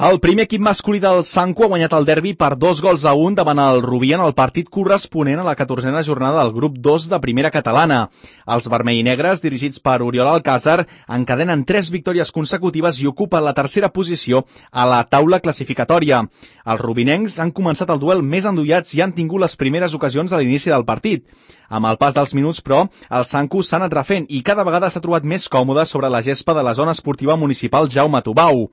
El primer equip masculí del Sanco ha guanyat el derbi per 2-1 davant el Rubí en el partit corresponent a la 14a jornada del grup 2 de primera catalana. Els vermell i negres, dirigits per Oriol Alcázar, encadenen 3 victòries consecutives i ocupen la tercera posició a la taula classificatòria. Els rubinencs han començat el duel més endollats i han tingut les primeres ocasions a l'inici del partit. Amb el pas dels minuts, però, el Sanco s'ha anat refent i cada vegada s'ha trobat més còmode sobre la gespa de la zona esportiva municipal Jaume Tubau.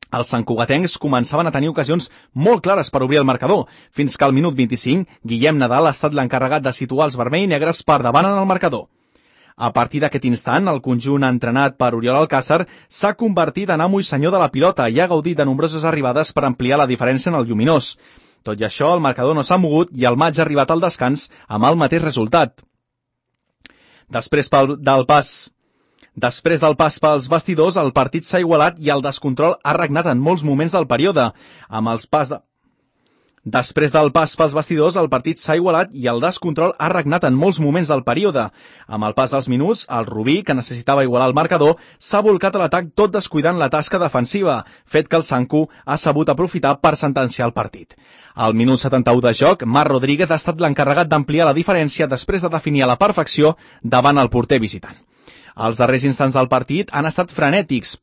Els santcugatencs començaven a tenir ocasions molt clares per obrir el marcador, fins que al minut 25 Guillem Nadal ha estat l'encarregat de situar els vermell i negres per davant en el marcador. A partir d'aquest instant, el conjunt entrenat per Oriol Alcázar s'ha convertit en amo i senyor de la pilota i ha gaudit de nombroses arribades per ampliar la diferència en el lluminós. Tot i això, el marcador no s'ha mogut i el maig ha arribat al descans amb el mateix resultat. Després del pas pels vestidors, el partit s'ha igualat i el descontrol ha regnat en molts moments del període. Després del pas pels vestidors, el partit s'ha igualat i el descontrol ha regnat en molts moments del període. Amb el pas dels minuts, el Rubí, que necessitava igualar el marcador, s'ha volcat a l'atac tot descuidant la tasca defensiva, fet que el Sanco ha sabut aprofitar per sentenciar el partit. Al minut 71 de joc, Marc Rodríguez ha estat l'encarregat d'ampliar la diferència després de definir a la perfecció davant el porter visitant. Els darrers instants del partit han estat frenètics,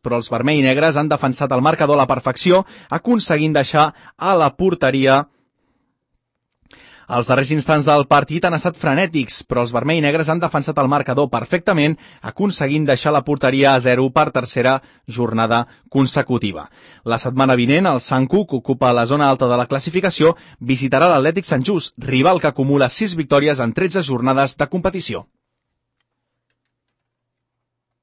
però els vermell i negres han defensat el marcador a la perfecció, aconseguint deixar a la porteria... Els darrers instants del partit han estat frenètics, però els vermell i negres han defensat el marcador perfectament, aconseguint deixar la porteria a 0 per tercera jornada consecutiva. La setmana vinent, el Sanco, que ocupa la zona alta de la classificació, visitarà l'Atlètic Sant Just, rival que acumula 6 victòries en 13 jornades de competició.